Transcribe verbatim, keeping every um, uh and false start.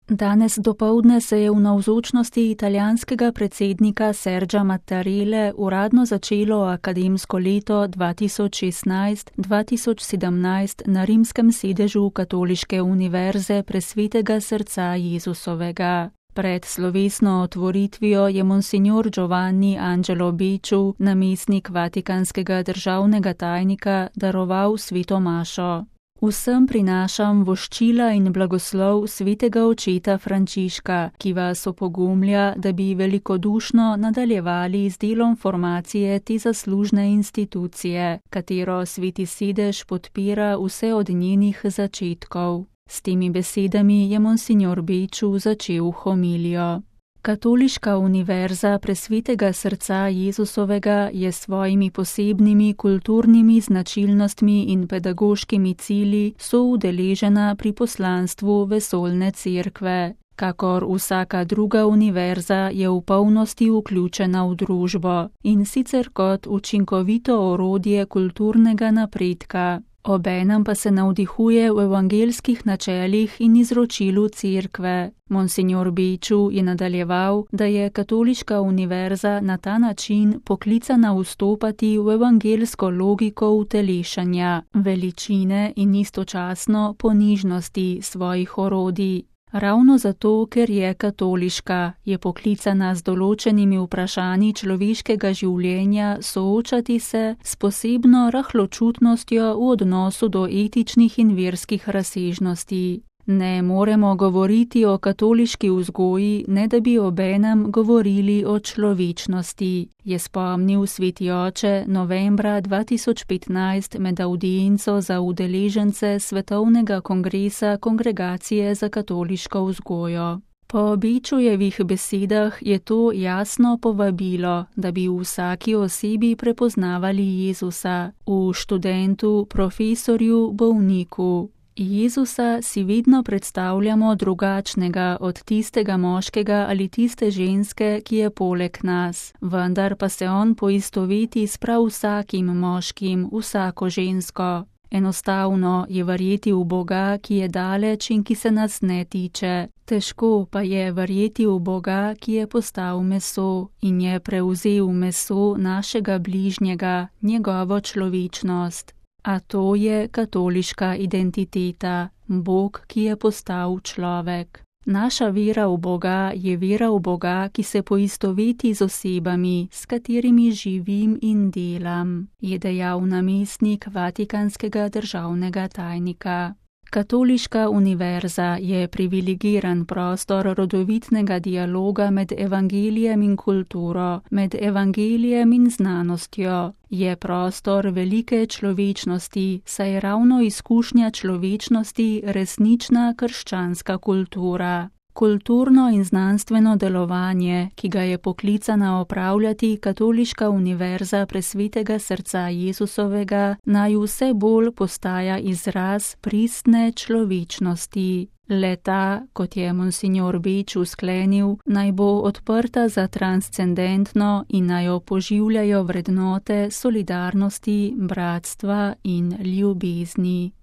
Danes dopoldne se je v navzočnosti italijanskega predsednika Sergia Mattarelle uradno začelo akademsko leto dva tisoč šestnajst dva tisoč sedemnajst na rimskem sedežu Katoliške univerze Presvetega srca Jezusovega. Pred slovesno otvoritvijo je monsignor Giovanni Angelo Becciu, namestnik vatikanskega državnega tajnika, daroval sveto mašo. Vsem prinašam voščila in blagoslov svetega očeta Frančiška, ki vas opogumlja, da bi velikodušno nadaljevali z delom formacije te zaslužne institucije, katero sveti sedež podpira vse od njenih začetkov. S temi besedami je monsignor Becciu začel homilijo. Katoliška univerza Presvetega srca Jezusovega je s svojimi posebnimi kulturnimi značilnostmi in pedagoškimi cilji soudeležena pri poslanstvu vesoljne cerkve. Kakor vsaka druga univerza je v polnosti vključena v družbo in sicer kot učinkovito orodje kulturnega napredka. Obenem pa se navdihuje v evangelskih načelih in izročilu cerkve. Monsignor Becciu je nadaljeval, da je Katoliška univerza na ta način poklicana vstopati v evangelsko logiko utelešanja, veličine in istočasno ponižnosti svojih orodij. Ravno zato, ker je katoliška, je poklicana z določenimi vprašanji človeškega življenja soočati se s posebno rahločutnostjo v odnosu do etičnih in verskih razsežnosti. Ne moremo govoriti o katoliški vzgoji, ne da bi obenem govorili o človečnosti, je spomnil sveti oče novembra dva tisoč petnajst med avdienco za udeležence Svetovnega kongresa Kongregacije za katoliško vzgojo. Po Becciujevih besedah je to jasno povabilo, da bi v vsaki osebi prepoznavali Jezusa, v študentu, profesorju, bolniku. Jezusa si vedno predstavljamo drugačnega od tistega moškega ali tiste ženske, ki je poleg nas, vendar pa se on poistoveti s prav vsakim moškim, vsako žensko. Enostavno je verjeti v Boga, ki je daleč in ki se nas ne tiče. Težko pa je verjeti v Boga, ki je postal meso in je prevzel meso našega bližnjega, njegovo človečnost. A to je katoliška identiteta, Bog, ki je postal človek. Naša vera v Boga je vera v Boga, ki se poistoveti z osebami, s katerimi živim in delam, je dejal namestnik vatikanskega državnega tajnika. Katoliška univerza je privilegiran prostor rodovitnega dialoga med evangelijem in kulturo, med evangelijem in znanostjo. Je prostor velike človečnosti, saj je ravno izkušnja človečnosti resnična krščanska kultura. Kulturno in znanstveno delovanje, ki ga je poklicana opravljati Katoliška univerza Presvetega srca Jezusovega, naj vse bolj postaja izraz pristne človečnosti. Le-ta, kot je monsignor Becciu sklenil, naj bo odprta za transcendentno in naj jo poživljajo vrednote solidarnosti, bratstva in ljubezni.